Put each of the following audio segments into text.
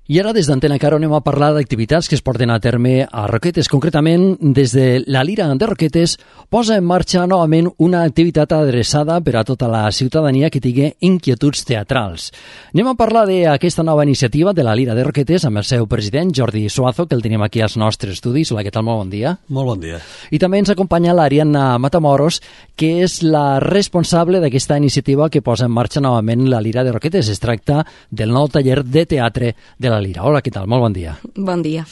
I ara des d'Antena Caro anem a parlar d'activitats que es porten a terme a Roquetes. Concretament, des de la Lira de Roquetes posa en marxa novament una activitat adreçada per a tota la ciutadania que tingui inquietuds teatrals. Anem a parlar d'aquesta nova iniciativa de la Lira de Roquetes amb el seu president, Jordi Suazo, que el tenim aquí als nostres estudis. Hola, què tal? Molt bon dia. Molt bon dia. I també ens acompanya l'Ariadna Matamoros, que és la responsable d'aquesta iniciativa que posa en marxa novament la Lira de Roquetes. Es tracta del nou taller de teatre de la Lira. Hola, què tal? Molt bon dia. Bon dia.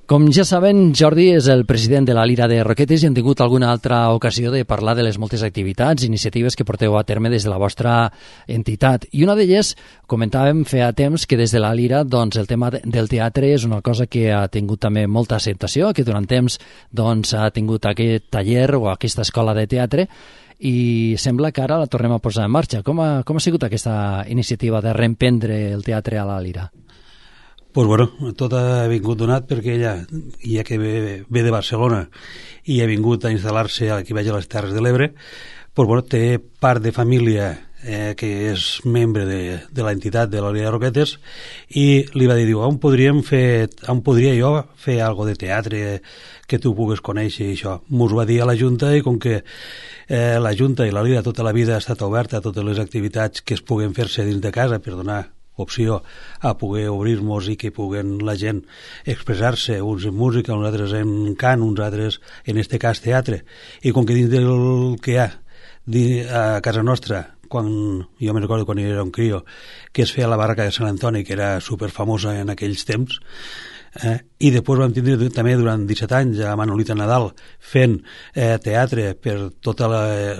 Com ja saben, Jordi és el president de la Lira de Roquetes i hem tingut alguna altra ocasió de parlar de les moltes activitats i iniciatives que porteu a terme des de la vostra entitat. I una d'elles, comentàvem feia temps que des de la Lira doncs, el tema del teatre és una cosa que ha tingut també molta acceptació, que durant temps doncs, ha tingut aquest taller o aquesta escola de teatre i sembla que ara la tornem a posar en marxa. Com ha sigut aquesta iniciativa de reemprendre el teatre a la Lira? Pues bueno, tot ha vingut donat perquè ella, ja que ve de Barcelona i ha vingut a instal·lar-se aquí baix a les Terres de l'Ebre, pues bueno, té part de família que és membre de l'entitat de la Lira de Roquetes i li va dir, on podria jo fer algo de teatre que tu pugues conèixer i això. Mos va dir a la Junta i com que la Junta i la Lira tota la vida ha estat oberta a totes les activitats que es puguen fer-se dins de casa per donar opció a poder obrir-nos i que puguen la gent expressar-se, uns en música, uns altres en cant, uns altres, en este cas, teatre. I com que dins del que hi ha a casa nostra, jo me recordo quan era un crio, que es feia la barraca de Sant Antoni, que era superfamosa en aquells temps, i després vam tindre també durant 17 anys a Manolita Nadal fent teatre per totes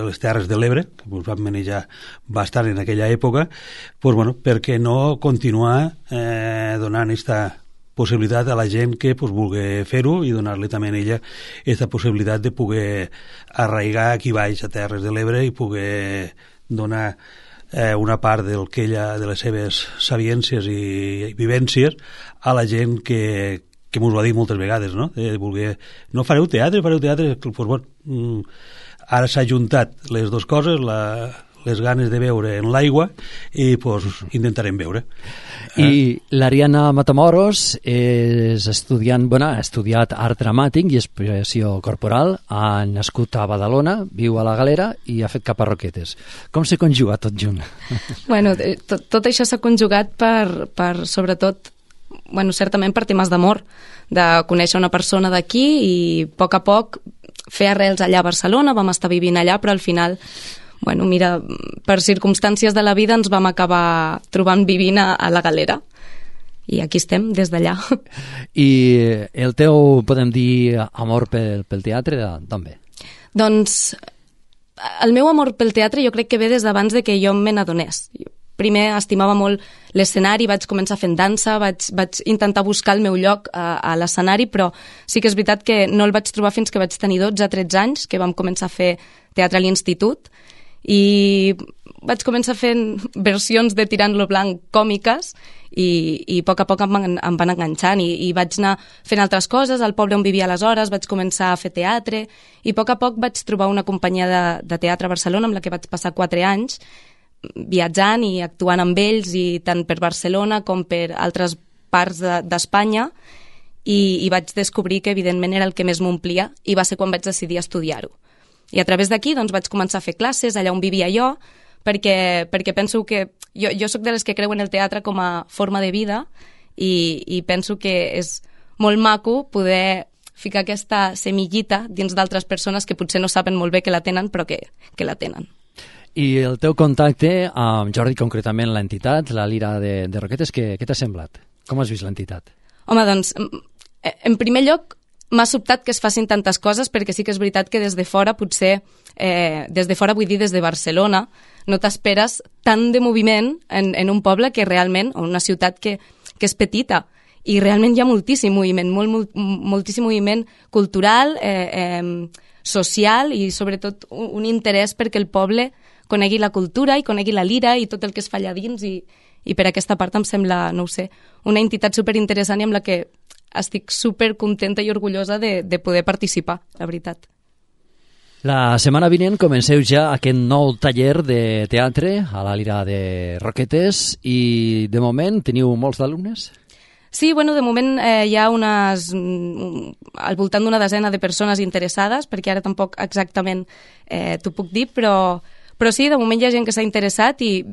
les Terres de l'Ebre, que ens vam manejar bastant en aquella època, doncs, bueno, per què no continuar donant aquesta possibilitat a la gent que vulgui fer-ho i donar-li també a ella aquesta possibilitat de poder arraigar aquí baix a Terres de l'Ebre i poder donar una part de les seves sabiències i vivències a la gent que m'ho va dir moltes vegades, no? De voler, no fareu teatre, doncs, bueno, ara s'ha juntat les dues coses, les ganes de veure en l'aigua i doncs intentarem veure. I l'Ariadna Matamoros és estudiant, ha estudiat art dramàtic i expressió corporal, ha nascut a Badalona, viu a la Galera i ha fet cap a Roquetes. Com s'ha conjugat tot junt? Bueno, tot això s'ha conjugat per sobretot, certament per temes d'amor, de conèixer una persona d'aquí i a poc fer arrels allà a Barcelona, vam estar vivint allà, però al final mira, per circumstàncies de la vida ens vam acabar trobant vivint a la Galera i aquí estem des d'allà. I el teu, podem dir, amor pel teatre, d'on ve? Doncs el meu amor pel teatre jo crec que ve des d'abans de que jo me n'adonés. Primer estimava molt l'escenari, vaig començar fent dansa, vaig intentar buscar el meu lloc a l'escenari, però sí que és veritat que no el vaig trobar fins que vaig tenir 12-13 anys, que vam començar a fer teatre a l'institut, i vaig començar fent versions de Tirant-lo Blanc còmiques i a poc em van enganxant i vaig anar fent altres coses. Al poble on vivia aleshores vaig començar a fer teatre i a poc vaig trobar una companyia de teatre a Barcelona amb la que vaig passar 4 anys viatjant i actuant amb ells, i tant per Barcelona com per altres parts d'Espanya, i vaig descobrir que evidentment era el que més m'omplia i va ser quan vaig decidir estudiar-ho. I a través d'aquí doncs, vaig començar a fer classes allà on vivia jo, perquè penso que jo soc de les que creuen el teatre com a forma de vida i penso que és molt maco poder ficar aquesta semillita dins d'altres persones que potser no saben molt bé que la tenen, però que la tenen. I el teu contacte amb Jordi, concretament l'entitat, la Lira de Roquetes, què t'ha semblat? Com has vist l'entitat? Home, doncs, en primer lloc, m'ha sobtat que es facin tantes coses, perquè sí que és veritat que des de fora, potser, des de fora vull dir des de Barcelona, no t'esperes tant de moviment en un poble que realment, o una ciutat que és petita, i realment hi ha moltíssim moviment, moltíssim moviment cultural, social i sobretot un interès perquè el poble conegui la cultura i conegui la lira i tot el que es fa allà dins, i per aquesta part em sembla, no ho sé, una entitat superinteressant i amb la que estic supercontenta i orgullosa de poder participar, la veritat. La setmana vinent comenceu ja aquest nou taller de teatre a la Lira de Roquetes i de moment teniu molts d'alumnes? Sí, bueno, de moment hi ha al voltant d'una desena de persones interessades, perquè ara tampoc exactament t'ho puc dir, però sí, de moment hi ha gent que s'ha interessat i,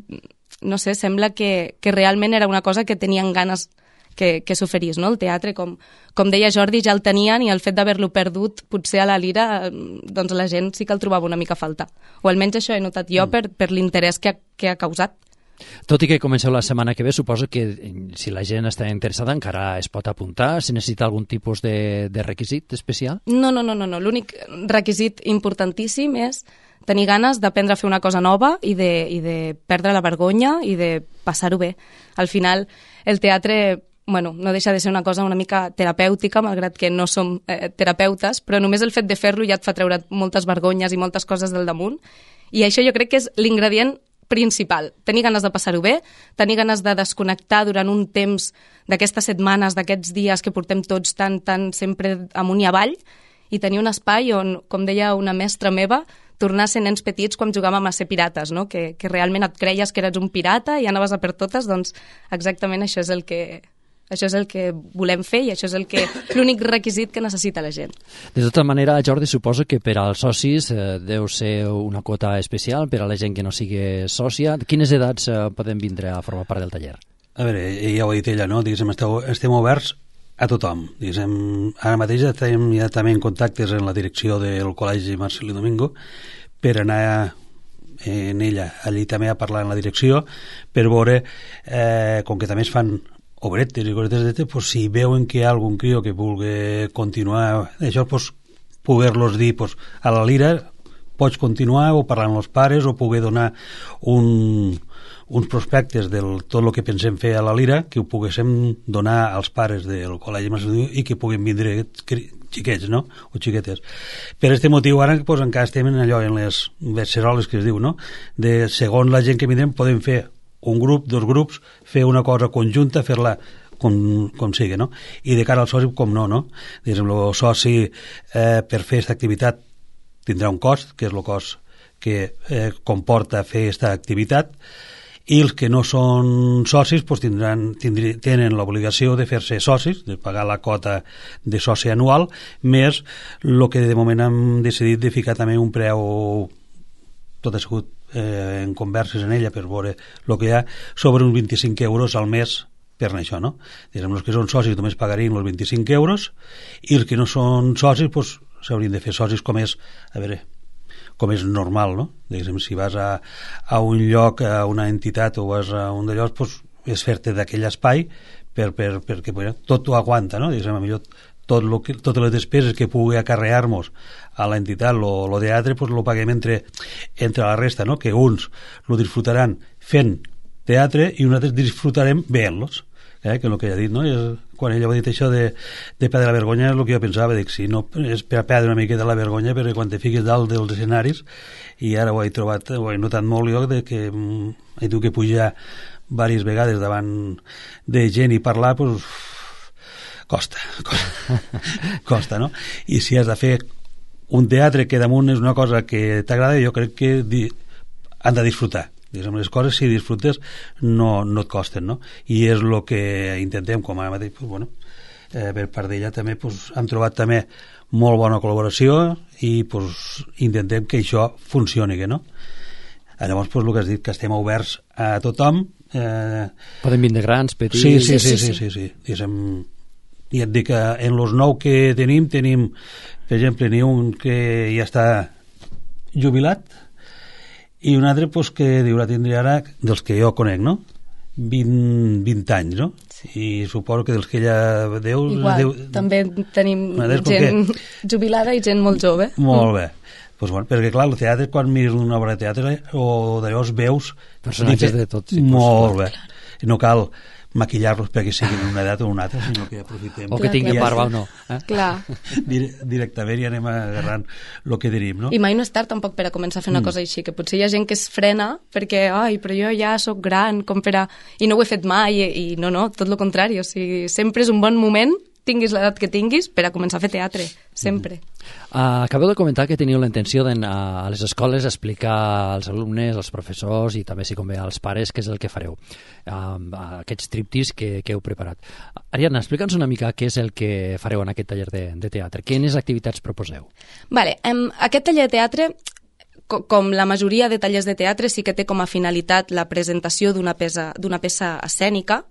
no sé, sembla que realment era una cosa que tenien ganes que s'oferís, no? El teatre, com deia Jordi, ja el tenien i el fet d'haver-lo perdut potser a la Lira, doncs la gent sí que el trobava una mica a faltar. O almenys això he notat jo per l'interès que ha causat. Tot i que comenceu la setmana que ve, suposo que si la gent està interessada encara es pot apuntar, si necessita algun tipus de requisit especial? No. L'únic requisit importantíssim és tenir ganes d'aprendre a fer una cosa nova i de perdre la vergonya i de passar-ho bé. Al final, el teatre, bueno, no deixa de ser una cosa una mica terapèutica, malgrat que no som terapeutes, però només el fet de fer-lo ja et fa treure moltes vergonyes i moltes coses del damunt. I això jo crec que és l'ingredient principal. Tenir ganes de passar-ho bé, tenir ganes de desconnectar durant un temps d'aquestes setmanes, d'aquests dies que portem tots tan sempre amunt i avall, i tenir un espai on, com deia una mestra meva, tornar a ser nens petits quan jugàvem a ser pirates, no? Que realment et creies que eres un pirata i anaves a per totes, doncs exactament això és el que volem fer i això és l'únic requisit que necessita la gent. De tota manera, Jordi, suposo que per als socis deu ser una quota especial per a la gent que no sigui sòcia. Quines edats poden vindre a formar part del taller? A veure, ja ho ha dit ella, no? Diguéssim, estem oberts a tothom. Diguéssim, ara mateix estem ja també en contactes en la direcció del Col·legi Marcelí Domingo per anar en ella allí també a parlar en la direcció per veure, com que també es fan obretes i cosetes, pues, si veuen que hi ha algun crio que vulgui continuar això, pues, poder-los dir, pues, a la Lira pots continuar o parlar amb els pares o poder donar uns prospectes de tot el que pensem fer a la Lira, que ho poguéssim donar als pares del Col·legi Marcelí i que puguin vindre xiquets, no? O xiquetes. Per aquest motiu ara pues, encara estem en allò, en les beceroles que es diu, no? De segons la gent que vindrem podem fer un grup, dos grups, fer una cosa conjunta, fer-la com sigui, no? I de cara al soci, com no? Diguéssim, el soci per fer aquesta activitat tindrà un cost, que és el cost que comporta fer aquesta activitat, i els que no són socis pues, tenen l'obligació de fer-se socis, de pagar la quota de soci anual, més el que de moment hem decidit de ficar també un preu, tot ha sigut en converses en ella per veure el que hi ha, sobre uns 25 euros al mes per això, no? Diguem, els que són socis només pagarien els 25 euros i els que no són socis pues, s'haurien de fer socis com és, a veure, com és normal, no? Diguem, si vas a un lloc, a una entitat o vas a un d'allò, pues, és fer-te d'aquell espai perquè tot ho aguanta, no? Diguem, millor totes les despeses que pugui acarrear-nos a l'entitat, lo teatre, pues lo paguem entre la resta, no? Que uns lo disfrutaran fent teatre i uns altres disfrutarem veient-los, que és el que ella ha dit, no? Quan ella ha dit això de perdre la vergonya, és el que jo pensava, dic, si no és per perdre una miqueta la vergonya, perquè quan te fiques dalt dels escenaris, i ara ho he notat molt jo, de que he tingut que pujar diverses vegades davant de gent i parlar, pues costa, no? I si has de fer un teatre que damunt és una cosa que t'agrada, jo crec que han de disfrutar. Diguem, les coses, si disfrutes, no et costen, no? I és el que intentem, com ara mateix, pues, bueno, per part d'ella també pues, han trobat també molt bona col·laboració i pues, intentem que això funcioni, no? Llavors, pues, el que has dit, que estem oberts a tothom. Poden vindre grans, petits... Sí. Diguem, i et dic que en els 9 que tenim, per exemple, n'hi ha un que ja està jubilat i un altre pues, que la tindria ara, dels que jo conec, no? 20 anys, no? Sí. I suposo que dels que ella deu... Igual, també tenim gent jubilada i gent molt jove. Molt bé. Pues bueno, perquè clar, el teatre, quan mires una obra de teatre o d'allò veus personatges de tots tipus. Molt bé. No cal maquillar-los perquè siguin en una edat o una altra, sinó que aprofitem. O que tinguin barba o no. Clar. Directament i anem agarrant el que tenim, no? I mai no és tard tampoc per a començar a fer una cosa així, que potser hi ha gent que es frena perquè, però jo ja sóc gran, com per a... I no ho he fet mai, i no, tot el contrari, o sigui, sempre és un bon moment tinguis l'edat que tinguis, per a començar a fer teatre, sempre. Acabeu de comentar que teniu la intenció d'anar a les escoles a explicar als alumnes, als professors i també, si convé, als pares què és el que fareu, aquests triptis que heu preparat. Ariadna, explica'ns una mica què és el que fareu en aquest taller de teatre. Quines activitats proposeu? Vale, aquest taller de teatre, com la majoria de tallers de teatre, sí que té com a finalitat la presentació d'una peça escènica,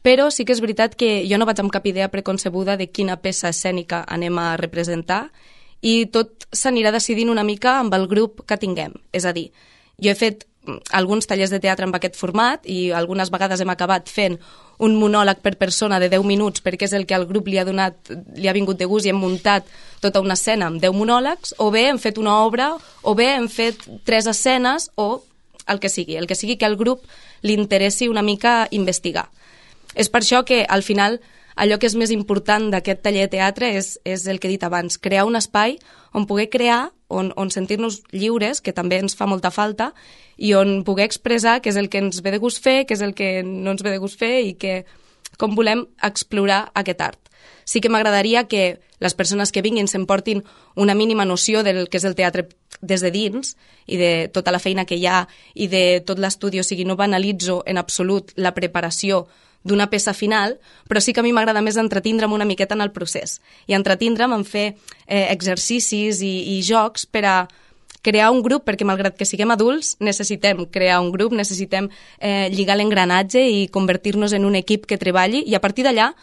però sí que és veritat que jo no vaig amb cap idea preconcebuda de quina peça escènica anem a representar i tot s'anirà decidint una mica amb el grup que tinguem. És a dir, jo he fet alguns tallers de teatre amb aquest format i algunes vegades hem acabat fent un monòleg per persona de 10 minuts perquè és el que al grup li ha vingut de gust i hem muntat tota una escena amb 10 monòlegs, o bé hem fet una obra, o bé hem fet 3 escenes, o el que sigui que al grup li interessi una mica investigar. És per això que al final allò que és més important d'aquest taller de teatre és el que he dit abans, crear un espai on poder crear, on sentir-nos lliures, que també ens fa molta falta, i on poder expressar què és el que ens ve de gust fer, què és el que no ens ve de gust fer i com volem explorar aquest art. Sí que m'agradaria que les persones que vinguin s'emportin una mínima noció del que és el teatre des de dins i de tota la feina que hi ha i de tot l'estudi, o sigui, no banalitzo en absolut la preparació d'una peça final, però sí que a mi m'agrada més entretindre'm una miqueta en el procés i entretindre'm en fer exercicis i jocs per a crear un grup, perquè malgrat que siguem adults necessitem crear un grup, necessitem lligar l'engranatge i convertir-nos en un equip que treballi, i a partir d'allà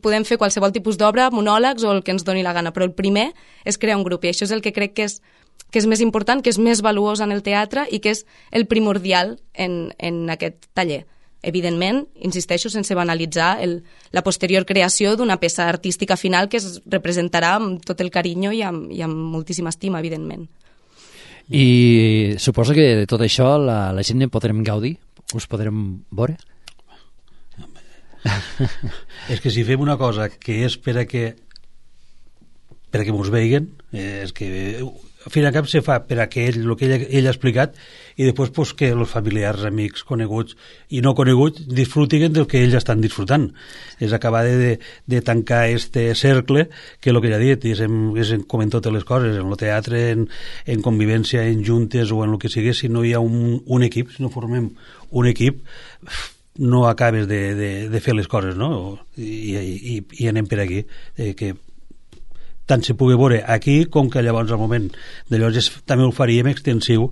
podem fer qualsevol tipus d'obra, monòlegs o el que ens doni la gana, però el primer és crear un grup, i això és el que crec que és més important, que és més valuós en el teatre i que és el primordial en aquest taller. Evidentment, insisteixo, sense banalitzar la posterior creació d'una peça artística final que es representarà amb tot el carinyo i amb moltíssima estima, evidentment. I suposo que de tot això la gent en podrem gaudir? Us podrem veure? És que si fem una cosa que és per a que mos veiguen, és que al fin i al cap se fa per a que el que ell ha explicat, i després pues, que els familiars, amics, coneguts i no coneguts disfrutin del que ells estan disfrutant. És acabar de tancar este cercle que el que ja he dit és com en totes les coses, en el teatre, en convivència, en juntes o en el que sigui. Si no hi ha un equip, si no formem un equip, no acabes de fer les coses, no? I anem per aquí, que tant se pugui veure aquí com que llavors al moment de llavors també ho faríem extensiu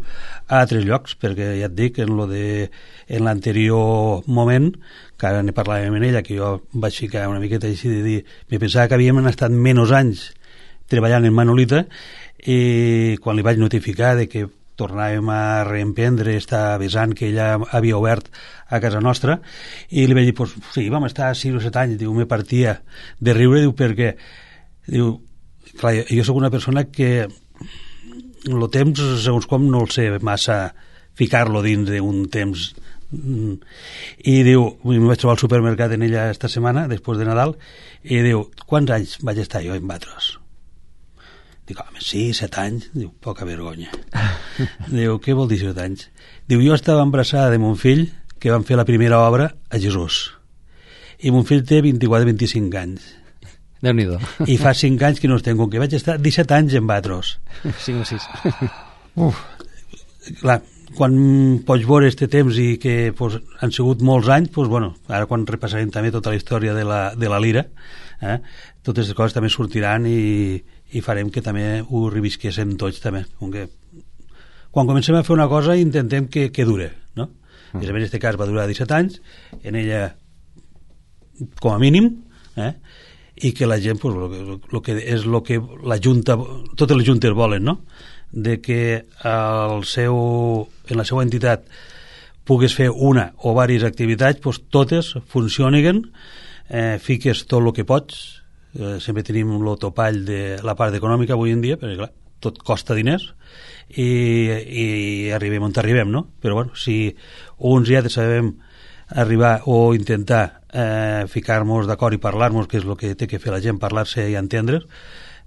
a altres llocs, perquè ja et dic, en l'anterior moment, que ara ne parlàvem en ella, que jo vaig ficar una miqueta així de dir, me pensava que havíem estat menys anys treballant en Manolita, i quan li vaig notificar de que tornàvem a reemprendre esta vessant que ella havia obert a casa nostra, i li vaig dir, pues, sí, vam estar 6 o 7 anys, diu, me partia de riure, diu, perquè diu, clar, jo sóc una persona que el temps, segons com, no el sé massa ficar-lo dins d'un temps, i diu, em vaig trobar al supermercat en ella esta setmana, després de Nadal, i diu, quants anys vaig estar jo en Batros? Dic, home, sí, 7 anys. Diu, poca vergonya. Diu, què vol dir 7 anys? Diu, jo estava embarassada de mon fill, que van fer la primera obra a Jesús, i mon fill té 24-25 anys. Déu-n'hi-do. I fa 5 anys que no estem, com que vaig estar 17 anys en Batros. 5 o 6. Clar, quan pots veure este temps i que pues, han sigut molts anys, pues, bueno, ara quan repassarem també tota la història de la lira, totes les coses també sortiran i farem que també ho revisquéssim tots també. Quan comencem a fer una cosa intentem que dure, no? En aquest cas va durar 17 anys, en ella com a mínim, i que la gent, pues, lo que és lo que la Junta, totes les juntes volen, no? De que en la seva entitat pugues fer una o diverses activitats, pues, totes funcionin, fiques tot el que pots, sempre tenim el topall de la part econòmica avui en dia, perquè clar, tot costa diners, i arribem on arribem, no? Però bueno, si uns ja sabem arribar o intentar ficar-nos d'acord i parlar-nos, que és el que té que fer la gent, parlar-se i entendre's,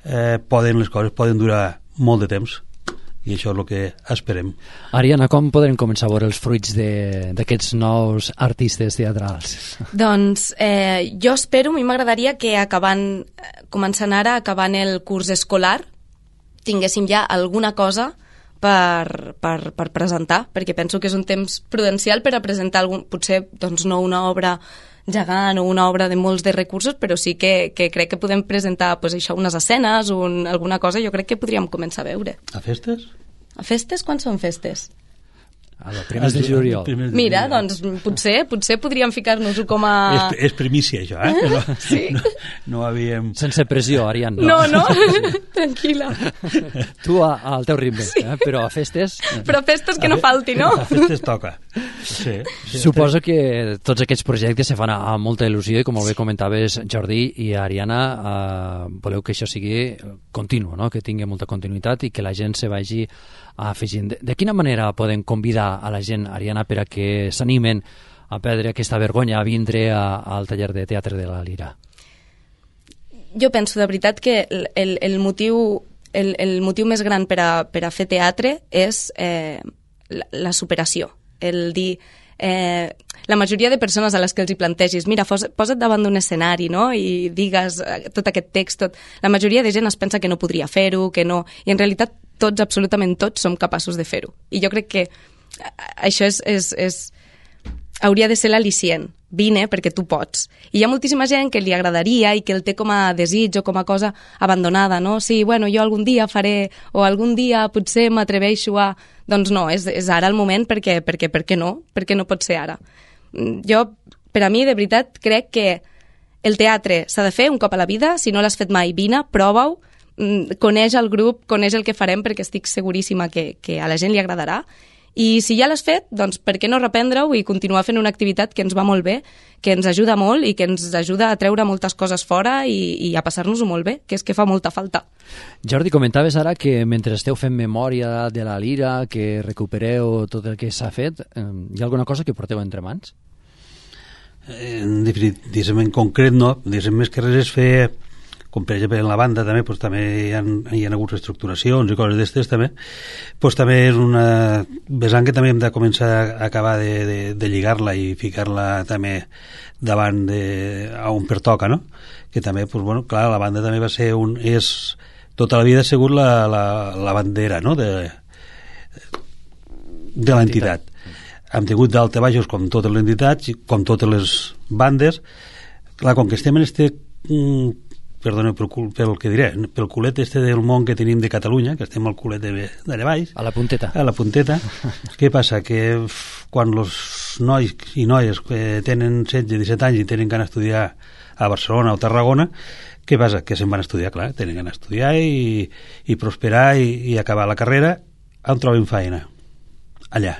les coses poden durar molt de temps, i això és el que esperem. Ariana, com podrem començar a veure els fruits d'aquests nous artistes teatrals? Doncs jo espero, a mi m'agradaria que començant ara, acabant el curs escolar, tinguéssim ja alguna cosa per presentar, perquè penso que és un temps prudencial per a presentar potser doncs, no una obra gegant o una obra de molts de recursos, però sí que crec que podem presentar pues, això, unes escenes, alguna cosa, jo crec que podríem començar a veure. A festes? A festes? Quan són festes? A la primers de juliol. Mira, doncs potser podríem ficar-nos-ho com a... És primícia, això, No, sí. No havíem... Sense pressió, Arian. No, tranquil·la. Tu al teu ritme, sí. Però a festes... Però a festes que no falti, no? A festes toca. Sí. Suposo que tots aquests projectes se fan amb molta il·lusió i, com molt bé comentaves, Jordi i Ariana, voleu que això sigui continu, no? Que tingui molta continuïtat i que la gent se vagi afegint. De quina manera podem convidar a la gent, Ariana, per a que s'animen a perdre aquesta vergonya a vindre al taller de teatre de la Lira? Jo penso de veritat que el motiu més gran per a fer teatre és la superació, el dir... la majoria de persones a les que els hi plantegis, mira, posa't davant d'un escenari, no?, i digues tot aquest text, la majoria de gent es pensa que no podria fer-ho, que no... I en realitat tots, absolutament tots, som capaços de fer-ho. I jo crec que això hauria de ser l'al·licient. Vine perquè tu pots. I hi ha moltíssima gent que li agradaria i que el té com a desig o com a cosa abandonada, no? Sí, bueno, jo algun dia faré, o algun dia potser m'atreveixo a... Doncs no, és ara el moment perquè no? Perquè no pot ser ara. Jo, per a mi, de veritat, crec que el teatre s'ha de fer un cop a la vida. Si no l'has fet mai, vine, prova-ho, coneix el grup, coneix el que farem, perquè estic seguríssima que a la gent li agradarà. I si ja l'has fet, doncs per què no reprendre-ho i continuar fent una activitat que ens va molt bé, que ens ajuda molt i que ens ajuda a treure moltes coses fora i a passar-nos-ho molt bé, que és que fa molta falta. Jordi, comentaves ara que mentre esteu fent memòria de la Lira, que recupereu tot el que s'ha fet, hi ha alguna cosa que porteu entre mans? En concret no, més que res és fer, com per exemple en la banda també, doncs, també hi ha hagut reestructuracions i coses d'estes també, doncs també és una vessant que també hem de començar a acabar de lligar-la i ficar-la també davant a on pertoca, no? Que també, doncs, bueno, clar, la banda també va ser tota la vida ha sigut la bandera, no?, de l'entitat. Hem tingut d'alta baixos com totes les entitats, com totes les bandes. Clar, com que estem en perdoneu pel que diré, pel culet del món que tenim de Catalunya, que estem al culet d'allà baix. A la punteta. A la punteta. Què passa? Que quan els nois i noies tenen 16-17 anys i tenen ganes d'estudiar a Barcelona o Tarragona, què passa? Que se'n van a estudiar, clar, tenen ganes d'estudiar i prosperar i acabar la carrera, on troben feina? Allà.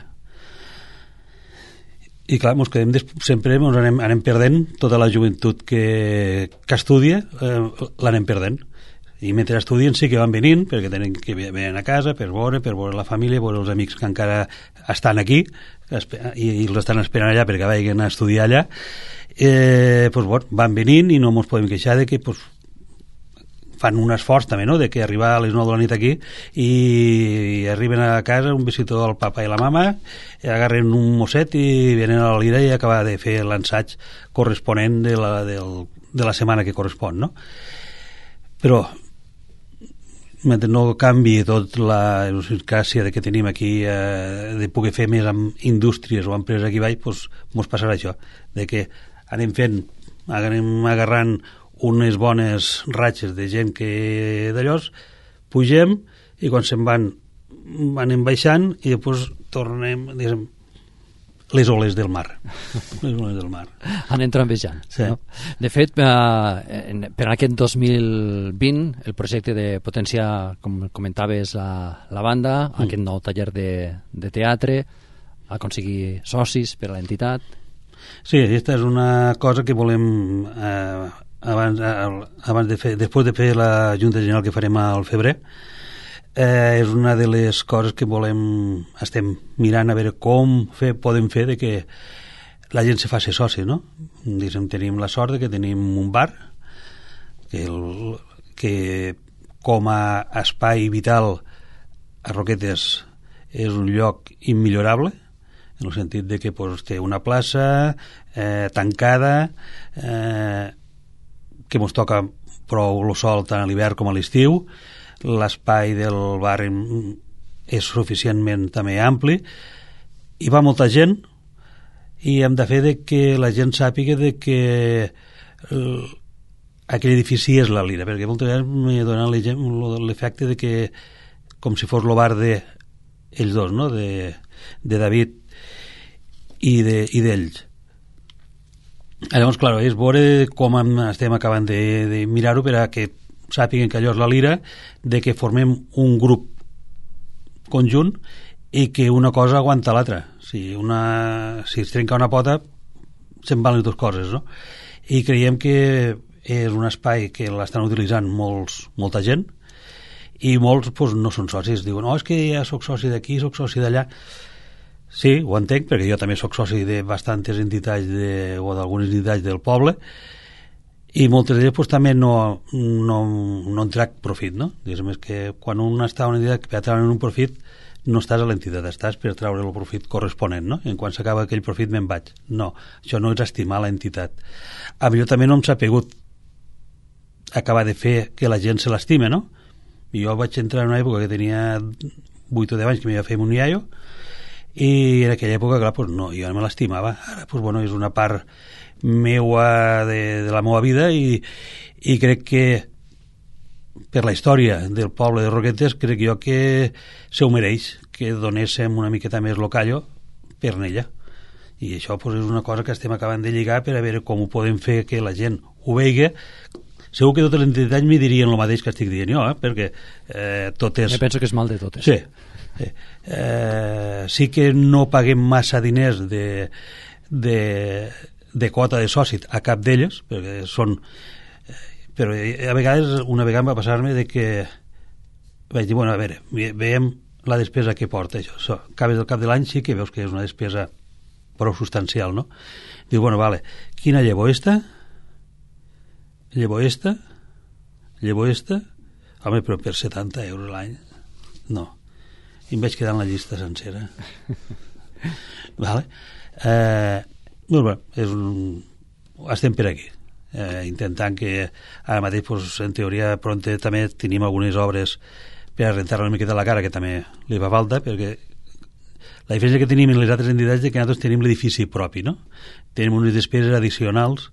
I clar, sempre anem perdent tota la joventut que estudia, l'anem perdent. I mentre estudien sí que van venint, perquè tenen que venir a casa per veure la família, veure els amics que encara estan aquí i els estan esperant allà perquè vagin a estudiar allà. Van venint i no ens podem queixar de que fan un esforç també, no?, de que arribar a les 9 de la nit aquí i arriben a casa un visitador del papa i la mama, agarren un mosset i venen a la Lira i acabar de fer l'ensaig corresponent de la setmana que correspon, no? Però mentre no canvi tot la idiosincràsia que tenim aquí de poder fer més amb indústries o empreses aquí baix, doncs mos passarà això, de que anem agarrant unes bones ratxes de gent que d'allòs, pugem i quan se'n anem baixant i després tornem, diguem, les oles del mar. Les oles del mar. Anem travessant. Sí. No? De fet, per aquest 2020, el projecte de potenciar, com comentaves, la banda, aquest nou taller de teatre, aconseguir socis per a l'entitat. Sí, aquesta és una cosa que volem després de fer la Junta General que farem al febrer. És una de les coses que estem mirant a veure com podem fer de que la gent se faci soci, no? Tenim la sort de que tenim un bar que com a espai vital a Roquetes és un lloc immillorable, en el sentit de que pues, té una plaça tancada, que ens toca prou el sol tant a l'hivern com a l'estiu, l'espai del barri és suficientment també ampli, hi va molta gent i hem de fer de que la gent sàpiga de que aquell edifici és la Lira, perquè moltes vegades m'he donat l'efecte de que com si fos el bar d'ells dos, no? de David i d'ells. Llavors, clar, és veure com estem acabant de mirar-ho per a que sàpiguen que allò és la Lira, de que formem un grup conjunt i que una cosa aguanta l'altra. Si es trenca una pota, se'n van les dues coses, no? I creiem que és un espai que l'estan utilitzant molta gent i molts pues, no són socis. Diuen, és que ja soc soci d'aquí, soc soci d'allà. Sí, ho entenc, perquè jo també soc soci de bastantes entitats o d'algunes entitats del poble i moltes d'elles pues, també no en trac profit, no? Diguéssim, és que quan un està a una entitat que per treure un profit no estàs a l'entitat, estàs per treure el profit corresponent, no? En quan s'acaba aquell profit me'n vaig. No, això no és estimar l'entitat. A mi també no em s'ha pegut acabar de fer que la gent se l'estime, no? I jo vaig entrar en una època que tenia 8 o 10 anys que m'hi va fer un iaio i en aquella època, clar, pues no, jo no me l'estimava. Ara, pues bueno, és una part meua de la meva vida i crec que per la història del poble de Roquetes crec jo que se ho mereix que donéssim una miqueta més lo callo per ella. I això pues, és una cosa que estem acabant de lligar per a veure com ho podem fer que la gent ho vegi. Segur que totes les entitats m'hi dirien el mateix que estic dient jo, perquè totes... Jo penso que és mal de totes. Sí. Sí que no paguem massa diners de quota de soci a cap d'elles, perquè són... Però a vegades, una vegada va passar-me de que vaig dir, bueno, a veure, veiem la despesa que porta això. Acabes del cap de l'any sí que veus que és una despesa prou substancial, no? Diu, bueno, vale, quina llavor esta? Llavor esta? Llavor esta? Home, però per 70 euros l'any? No. I em vaig quedar en la llista sencera. Vale? Bueno, estem per aquí. Intentant que ara mateix, pues, en teoria, pronte també tenim algunes obres per a rentar una miqueta la cara, que també li fa falta, perquè la diferència que tenim en les altres entitats és que nosaltres tenim l'edifici propi, no? Tenim unes despeses addicionals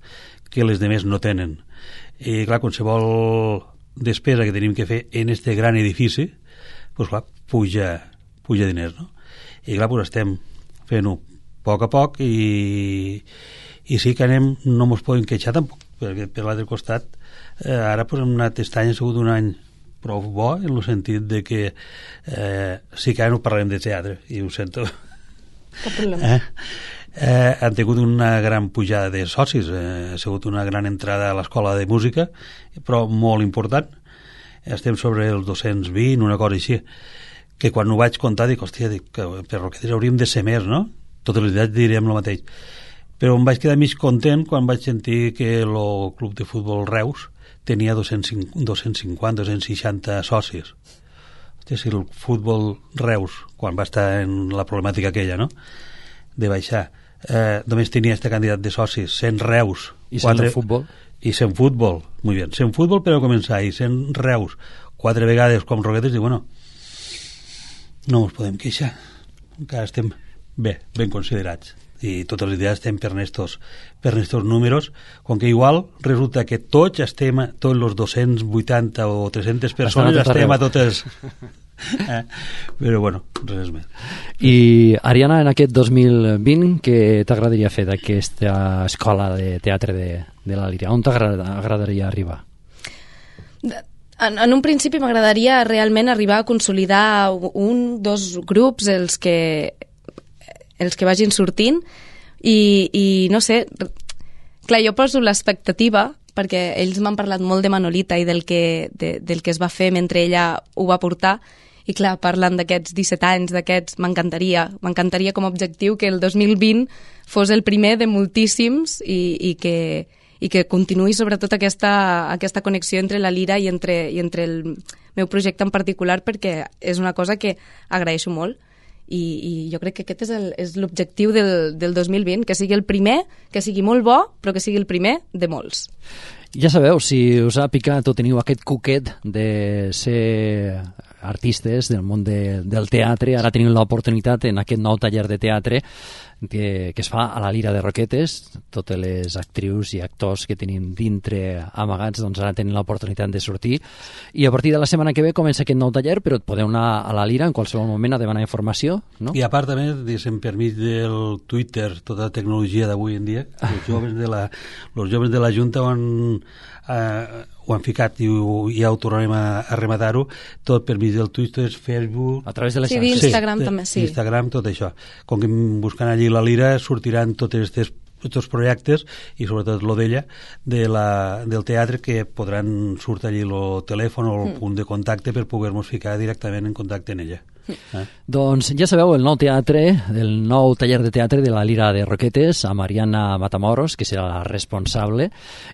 que les demés no tenen. I, clar, qualsevol despesa que tenim que fer en este gran edifici, pues, clar, puja diners, no? I, clar, pues, estem fent-ho a poc i sí que no ens podem queixar tampoc, perquè per l'altre costat ara pues, hem anat aquest any, ha sigut un any prou bo en el sentit de que sí que ara no parlarem de teatre i ho sento. Cap problema. Han tingut una gran pujada de socis, ha sigut una gran entrada a l'escola de música, però molt important. Estem sobre els 220, una cosa així, que quan ho vaig comptar dic, hòstia, per Roquetes hauríem de ser més, no? Totes les idees diríem el mateix. Però em vaig quedar mig content quan vaig sentir que el club de futbol Reus tenia 250-260 socis. Hòstia, si el futbol Reus, quan va estar en la problemàtica aquella, no?, de baixar, només tenia este candidat de socis, 100 Reus. I 100 futbol? I 100 futbol, molt bé. 100 futbol per a començar, i 100 Reus, 4 vegades com Roquetes, i bueno, no ens podem queixar. Encara estem bé, ben considerats. I totes les idees estem per estos números, com que igual resulta que tots estem, tots els 280 o 300 persones estem a totes... Però bueno, res més. I Ariana, en aquest 2020 què t'agradaria fer d'aquesta escola de teatre de la Lira? On t'agradaria arribar? En un principi m'agradaria realment arribar a consolidar dos grups, els que vagin sortint i no sé, clar, jo poso l'expectativa perquè ells m'han parlat molt de Manolita i del que es va fer mentre ella ho va portar, i clar, parlant d'aquests 17 anys, m'encantaria com a objectiu que el 2020 fos el primer de moltíssims i que continuï sobretot aquesta connexió entre la Lira i entre el meu projecte en particular, perquè és una cosa que agraeixo molt. I jo crec que aquest és l'objectiu del 2020, que sigui el primer, que sigui molt bo, però que sigui el primer de molts. Ja sabeu, si us ha picat o teniu aquest cuquet de ser artistes del món del teatre, ara tenim l'oportunitat en aquest nou taller de teatre que es fa a la Lira de Roquetes. Totes les actrius i actors que tenim dintre amagats, doncs ara tenen l'oportunitat de sortir, i a partir de la setmana que ve comença aquest nou taller, però et podeu anar a la Lira en qualsevol moment a demanar informació, no? I a part també, per mig del Twitter, tota la tecnologia d'avui en dia, els joves de la Junta ho han ficat i ja ho tornarem a rematar-ho, tot per mig del Twitter, Facebook... A través de les xarxes. Sí, d'Instagram també, sí. Instagram, tot això. Com que buscant allí la Lira sortiran tots aquests projectes i sobretot lo d'ella, del teatre, que podran sortir allí el telèfon o el punt de contacte per poder-nos ficar directament en contacte en ella. Doncs ja sabeu, el nou taller de teatre de la Lira de Roquetes, a Mariana Matamoros, que serà la responsable,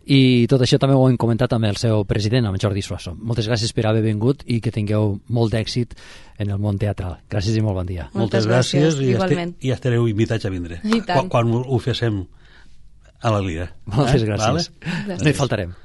i tot això també ho hem comentat amb el seu president, amb Jordi Suasso. Moltes gràcies per haver vingut i que tingueu molt d'èxit en el món teatral. Gràcies i molt bon dia. Moltes gràcies, igualment. I estareu invitats a vindre quan ho fem a la Lira. Moltes gràcies. Gràcies. No hi faltarem.